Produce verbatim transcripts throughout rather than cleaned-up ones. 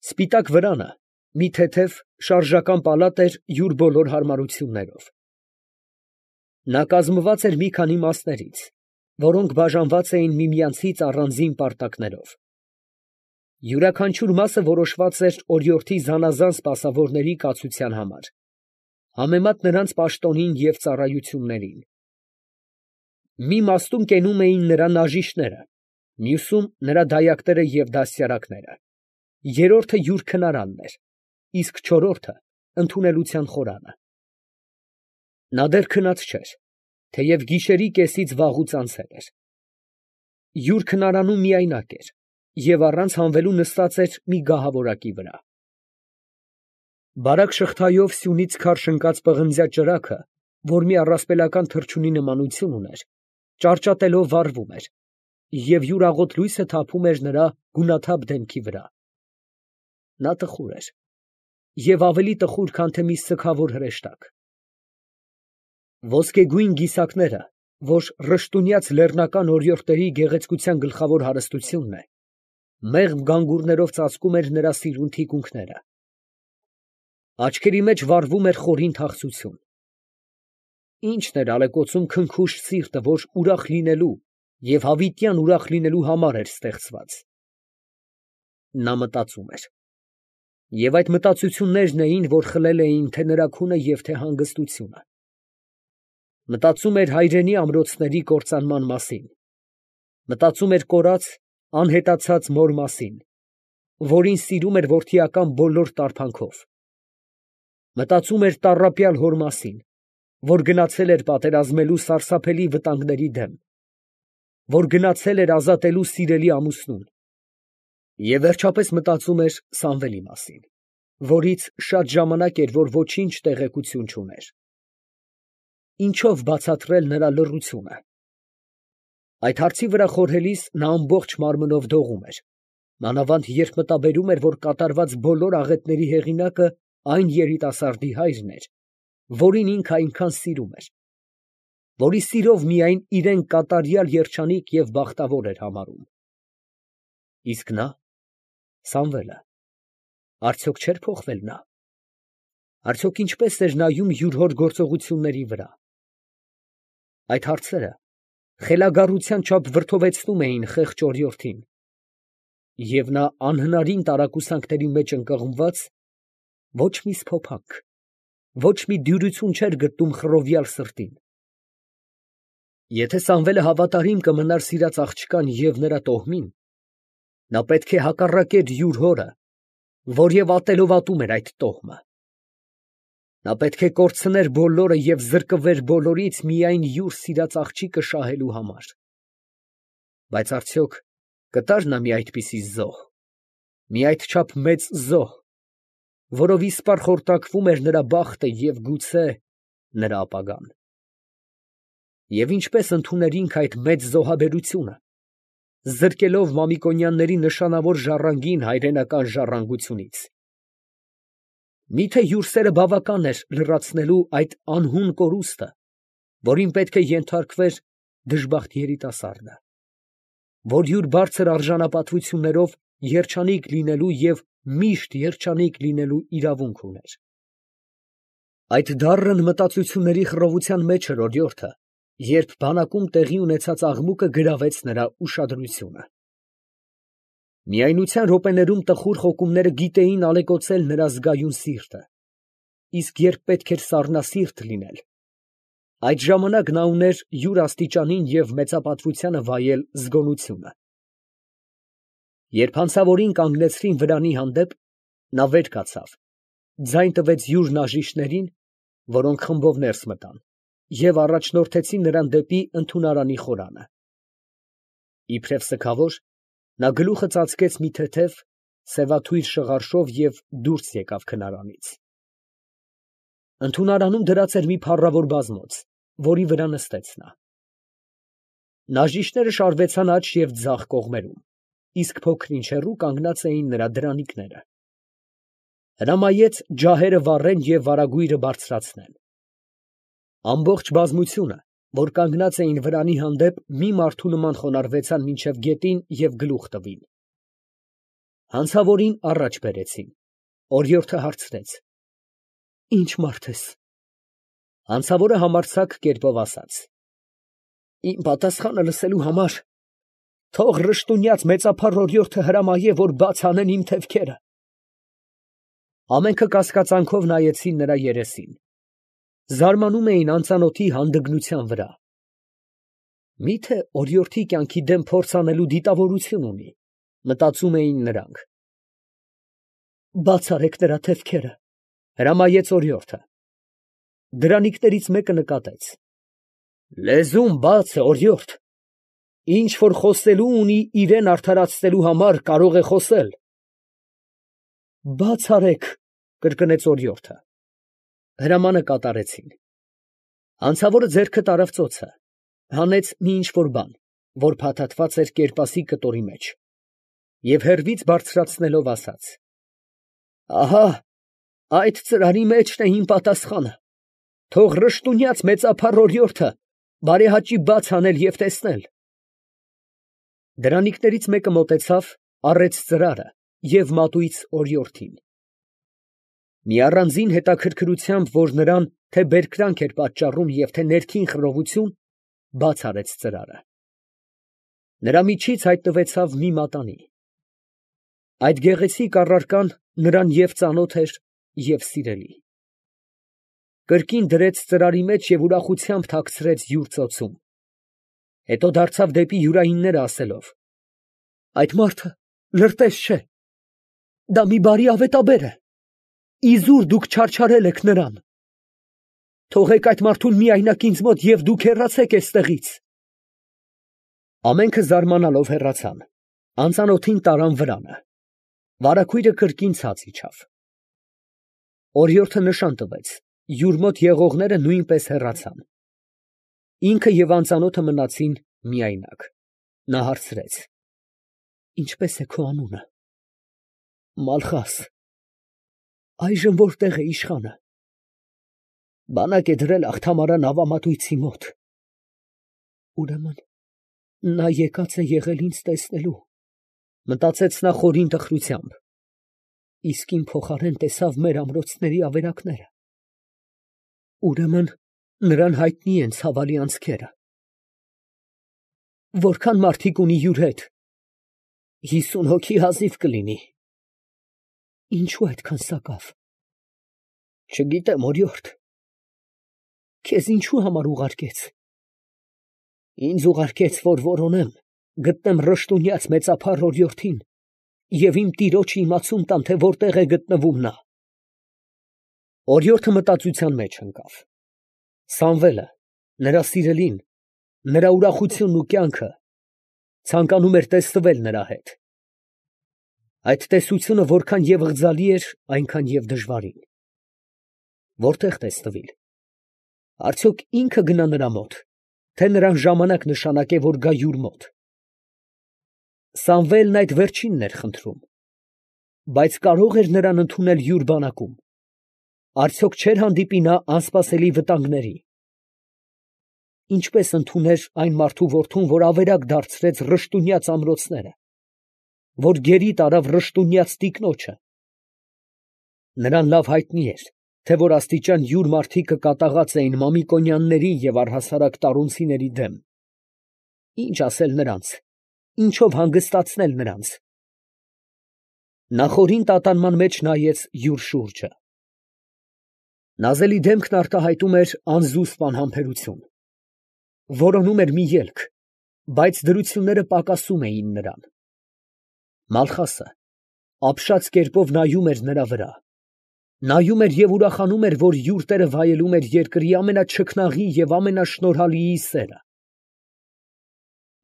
Սպիտակ վրանը մի թեթև շարժական պալատ էր յուր բոլոր հարմարություններով. նա կազմված էր մի քանի մասներից, որոնք բաժանված էին միմյանցից առանձին պարտակներով. յուրաքանչյուր մասը որոշված էր օրիորդի զանազան սպասավորների կացության համար, համեմատ նրանց պաշտոնին և ծառայություններին. մի մասում կենում էին նրա նաժիշտները, մյուսում նրա դայակները և դաստիարակները, երրորդը յուր քնարանն էր, իսկ չորրորդը ընդունելության խորանը. նա դեռ քնած չէր, թեև գիշերի կեսից վաղուց անցել էր. յուր քնարանում միայնակ էր և առանց հանվելու նստած էր մի գահավորակի վրա. բարակ շղթայով սյունից քարշ ընկած պղնձյա ճրագը, որ մի առասպելական թռչունի նմանություն ուներ, ճարճատելով վառվում էր, և յուր աղոտ լույսը թափում էր նրա գունաթափ դեմքի վրա. նա տխուր էր և ավելի տխուր, քան թե մի սգավոր հրեշտակ. ոսկեգույն գիսակները, որ ռշտունյաց լեռնական օրիորդների գեղեցկության գլխավոր հարստությունն է, մեղմ գանգուրներով ծածկում էր նրա սիրուն թիկունքները. աչքերի մեջ վառվում էր խորին թախծություն. ի՞նչն էր ալեկոծում քնքուշ սիրտը, որ ուրախ լինելու և հավիտյան ուրախ լինելու համար էր ստեղծված. նա մտածում էր, և այդ մտածություններն էին, որ խլել էին թե նրա քունը և թե հանգստությունը. մտածում էր հայրենի ամրոցների կործանման մասին, մտածում էր կորած, անհետացած մոր մասին, որին սիրում էր որդիական բոլոր տարբանքով, մտածում էր տառապյալ հոր մասին, որ գնացել էր պատերազմելու սարսափելի վտանգների դեմ, որ գնացել էր ազատելու սիրելի ամուսնուն, և վերջապես մտածում էր Սամվելի մասին, որից շատ ժամանակ էր, որ ոչինչ տեղեկություն չուներ. ինչո՞վ բացատրել նրա լռությունը. այդ հարցի վրա խորհելիս նա ամբողջ մարմնով դողում էր, մանավանդ երբ մտաբերում էր, որ կատարված բոլոր աղետների հեղինակը այն երիտասարդի հայրն էր, որին ինքը այնքան սիրում էր, որի սիրով միայն իրեն կատարյալ երջանիկ և բախտավոր էր համարում. իսկ նա, Սամվելը, արդյոք չէր փոխվել նա, արդյոք ինչպե՞ս էր նայում յուր հոր գործողությունների վրա. այդ հարցերը խելագարության չափ վրդովեցնում էին խեղճ օրիորդին, և նա անհնարին տարակուսանքների մեջ ընկղմված, ոչ մի սփոփանք, ոչ մի դյուրություն չէր գտնում խռովյալ սրտին. եթե Սամվելը հավատարիմ կմնար սիրած աղջկան և նրա տոհմին, նա պետք է հակառակեր յուր հորը, որ և ատելով ատում էր այդ տոհմը. նա պետք է կորցներ բոլորը և զրկվեր բոլորից միայն յուր սիրած աղջիկը շահելու համար. բայց արդյոք կտա՞ր նա մի այդպիսի զոհ, մի այդչափ մեծ զոհ, որով իսպառ խորտակվում էր նրա բախտը և գուցե նրա ապագան. և ինչպե՞ս ընդուներ ինքը այդ մեծ զոհաբերությունը, զրկելով Մամիկոնյանների նշանավոր ժառանգին հայրենական ժառանգությունից. մի՞թե յուր սերը բավական էր լրացնելու այդ անհուն կորուստը, որին պետք է ենթարկվեր դժբախտ երիտասարդը, որ յուր բարձր արժանապատվություններով երջանիկ լինելու և միշտ երջանիկ լինելու իրավունք ուներ. այդ դառն մտածությունների խռովության մեջ էր օրիորդը, երբ բանակում տեղի ունեցած աղմուկը գրավեց նրա ուշադրությունը. միայնության րոպեներում տխուր խոկումները գիտեին ալեկոծել նրա զգայուն սիրտը, իսկ երբ պետք էր սառնասիրտ լինել, այդ ժամանակ նա ուներ յուր աստիճանին և մեծապատվությանը վայել զգոնությունը. երբ հանցավորին կանգնեցրին վրանի հանդեպ, նա վեր կացավ, ձայն տվեց յուր նաժիշտներին, որոնք խմբով ներս մտան, և առաջնորդեցին նրան դեպի ընդունարանի խորանը. իբրև սգավոր, նա գլուխը ծածկեց մի թեթև, սևաթույր շղարշով և դուրս եկավ քնարանից. ընդունարանում դրած էր մի փառավոր բազմոց, որի վրա նստեց նա. նաժիշտները շարվեցան աջ և ձախ կողմերում, իսկ փոքր-ինչ հեռու կանգնած էին նրա դրանիկները. հրամայեց ջահերը վառեն և վարագույրը բարձրացնեն. ամբողջ բազմությունը, որ կանգնած էին վրանի հանդեպ, մի մարդու նման խոնարհվեցան մինչև գետին և գլուխ տվին. Հանցավորին առաջ բերեցին։ Օրիորդը հարցրեց. Ի՞նչ մարդ ես։ Հանցավորը համարձակ կերպով ասաց. Իմ պատասխանը լսելու համար թող ռշտունյաց մեծափառ օրիորդը հրամայե, որ բաց անեն իմ թևքերը։ Ամենքը կասկածանքով նայեցին նրա երեսին, զարմանում էին անծանոթի հանդգնության վրա։ Միթե օրիորդի կյանքի դեմ փորձ անելու դիտավորություն ունի, մտածում էին նրանք։ Բաց արեք նրա թևքերը, հրամայեց օրիորդը։ Դրանիկներից մեկը նկատեց. Լեզուն բաց է, օրիորդ, ինչ որ խոսելու ունի իրեն արդարացնելու համար կարող է խոսել։ Բաց արեք, կրկնեց օրիորդը։ Հրամանը կատարեցին։ Հանցավորը ձեռքը տարավ ծոցը, հանեց մի ինչ-որ բան, որ փաթաթված էր կերպասի կտորի մեջ, և հեռվից բարձրացնելով ասաց. Ահա, այդ ծրարի մեջն է իմ պատասխանը, թող ռշտունյաց մեծափառ օրիորդը բարեհաճի բաց անել և տեսնել։ Դրանիկներից մեկը մոտեցավ, առեց ծրարը և մատույց օրիորդին։ Մի առանձին հետաքրքրությամբ, որ նրան թե բերկրանք էր պատճառում և թե ներքին խռովություն, բաց արեց ծրարը։ Նրա միջից հայտնվեցավ մի մատանի։ Այդ գեղեցիկ առարկան նրան և ծանոթ էր, և սիրելի։ Կրկին դրեց ծրարի մեջ և ուրախությամբ թաքցրեց յուր ծոցում։ Հետո դարձավ դեպի յուրայինները, ասելով. Այդ մարդը լրտես չէ, դա մի բարի ավետաբեր է, իզուր դուք չարչարել եք նրան։ Թողեք այդ մարդուն միայնակ ինձ մոտ և դուք հեռացեք էստեղից։ Ամենքը զարմանալով հեռացան, անծանոթին տարան վրանը, վարագույրը կրկին ցած իջավ։ Օրիորդը նշան տվեց, յուր մոտ եղողները նույնպես հեռացան։ Ինքը և անծանոթը մնացին միայնակ։ Նա հարցրեց. Ինչպե՞ս է քո անունը։ Մալխաս։ Այժմ որտե՞ղ է իշխանը։ Բանակ է դրել Աղթամարան նավամատույցի մոտ։ Ուրեմն նա եկած է եղել ինձ տեսնելու, մտածեց նա խորին տխրությամբ, իսկ իմ փոխարեն տեսավ մեր ամրոցների ավերակները։ Ուրեմն նրան հայտնի են ցավալի անցքերը։ Որքան մարդիկ ունի յուր հետ։ Հիսուն հոգի հազիվ կլինի։ Ինչո՞ւ այդքան սակավ։ Չգիտեմ, օրիորդ։ Քեզ ինչու համար ուղարկեց։ Ինձ ուղարկեց, որ որոնեմ, գտնեմ ռշտունյաց մեծափառ օրիորդին և իմ տիրոջը իմացում տամ, թե որտեղ է գտնվում նա։ Օրիորդը մտածության մեջ ընկավ։ Սամվելը, նրա սիրելին, նրա ուրախությունն ու կյանքը ցանկանում էր տեսնվել նրա հետ։ Այդ տեսությունը որքան և ղձալի էր, այնքան և դժվարին։ Որտե՞ղ տեսնվիլ։ Արդյոք ինքը գնա նրա մոտ, թե նրան ժամանակ նշանակե, որ գա յուր մոտ։ Սամվելն այդ վերջինն էր խնդրում, բայց կարո՞ղ էր նրան ընդունել յուր բանակում։ Արդյոք չէր հանդիպի նա անսպասելի վտանգների։ Ինչպես ընդուներ այն մարդու որդուն, որ ավերակ դարձրեց ռշտունյաց ամրոցները, որ գերի տարավ ռշտունյաց տիկնոջը։ Նրան լավ հայտնի էր, թե որ աստիճան յուր մարդիկը կատաղած էին Մամիկոնյանների և առհասարակ տառունցիների դեմ։ Ինչ ասել նրանց, ինչով հանգստացնել նրանց։ Նա խորին տատանման մեջ նայեց յուր շուրջը։ Նազելի դեմքն արտահայտում էր անզուսպ անհամբերություն։ Որոնում էր մի ելք, բայց դրությունները պակասում էին նրան։ Մալխասը ապշած կերպով նայում էր նրա վրա։ Նայում էր և ուրախանում էր, որ յուր տերը վայելում էր երկրի ամենաչքնաղի և ամենաշնորհալիի սերը։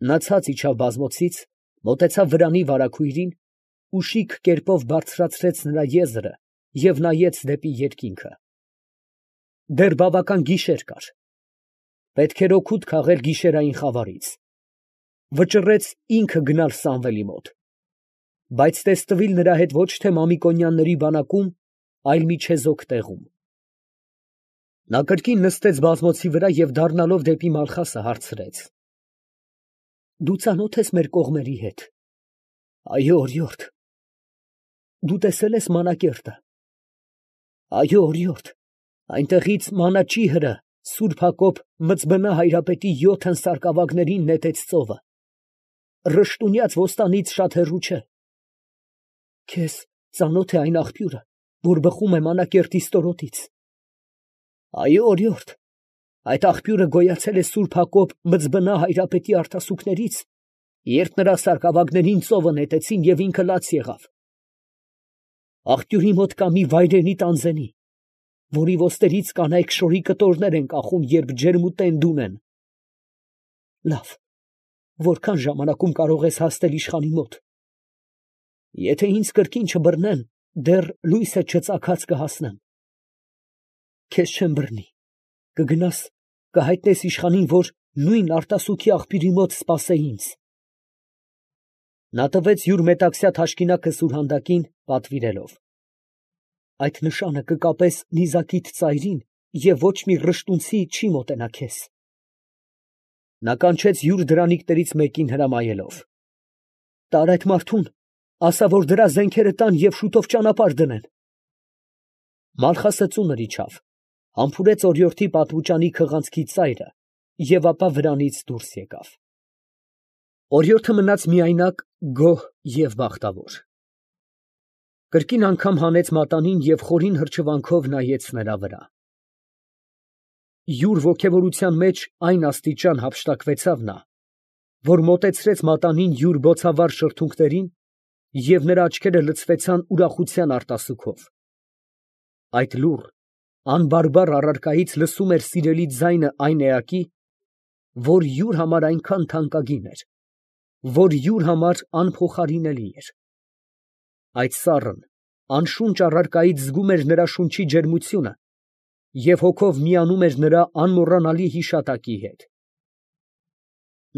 Նա ցած իջավ բազմոցից, մոտեցավ վրանի վարագույրին ու շիկ կերպով բարձրացրեց նրա եզրը և նայեց դեպի երկինքը։ Դեռ բավական գիշեր կար։ Պետք էր օգուտ քաղել գիշերային խավարից։ Վճռեց ինքը գնալ Սամվելի մոտ, բայց տեսնվիլ նրա հետ ոչ թե Մամիկոնյանների բանակում, այլ մի չեզոք տեղում։ Նա կրկին նստեց բազմոցի վրա և դառնալով դեպի Մալխասը հարցրեց. Դու ծանո՞թ ես մեր կողմերի հետ։ Այո, օրիորդ։ դու տեսել ես Մանակերտը։ Այո, օրիորդ, այնտեղից Մանաճիհրը, Սուրբ Հակոբ Մծբնա Հայրապետի յոթն սարկավագներին նետեց ծովը, Ռշտունյաց ոստանից շատ հեռու չէ։ Քեզ ծանոթ է այն աղբյուրը, որ բխում է Մանակերտի ստորոտից։ Այո, օրիորդ, այդ աղբյուրը գոյացել է Սուրբ Հակոբ Մծբնա Հայրապետի արտասուքներից, երբ նրա սարկավագներին ծովը նետեցին և ինքը լաց եղավ։ Աղբյուրի մոտ կա մի վայրենի տանձենի, որի ոսկերից կանայք շորի կտորներ են կախում, երբ ջերմուտենդ ունեն։ Լավ, որքան ժամանակում կարող ես հասնել իշխանի մոտ։ Եթե ինձ կրկին չբռնեն, դեռ լույսը չծագած կհասնեմ։ Քեզ չեմ բռնի, կգնաս, կհայտնես իշխանին, որ նույն արտասուքի աղբյուրի մոտ սպասե ինձ։ Նա տվեց յուր մետաքսյա թաշկինակը սուրհանդակին, պատվիրելով. այդ նշանը կկապես նիզակիդ ծայրին, և ոչ մի ռշտունցի չի մոտենա քեզ։ Նա կանչեց յուր դրանիկներից մեկին հրամայելով. տար այդ մարդուն, ասա, որ դրա զենքերը տան և շուտով ճանապարհ դնեն։ Մալխասը ծունր իջավ, համբուրեց օրիորդի պատվուճանի քղանցքի ծայրը և ապա վրանից դուրս եկավ։ Օրիորդը մնաց միայնակ, գոհ և բախտավոր։ Կրկին անգամ հանեց մատանին և խորին հրճվանքով նայեց նրա վրա։ Յուր ոգևորության մեջ այն աստիճան հափշտակվեցավ նա, որ մոտեցրեց մատանին յուր բոցավառ շրթունքներին, և նրա աչքերը լցվեցան ուրախության արտասուքով։ Այդ լուռ, անբարբար առարկայից լսում էր սիրելի ձայնը այն էակի, որ յուր համար այնքան թանկագին էր, որ յուր համար անփոխարինելի էր։ Այդ սառն, անշունչ առարկայից զգում էր նրա շունչի ջերմությունը և հոգով միանում էր նրա անմոռանալի հիշատակի հետ։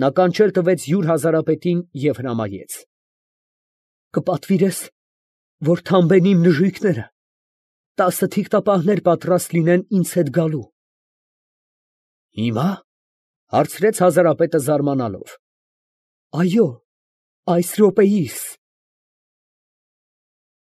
Նա կանչել տվեց յուր հազարապետին և հրամայեց. կպատվիրես, որ թամբեն իմ նժույգները, տասը թիկտապահներ պատրաստ լինեն ինձ հետ գալու։ Հիմա, հարցրեց հազարապետը զարմանալով։ Այո, այս րոպեիս։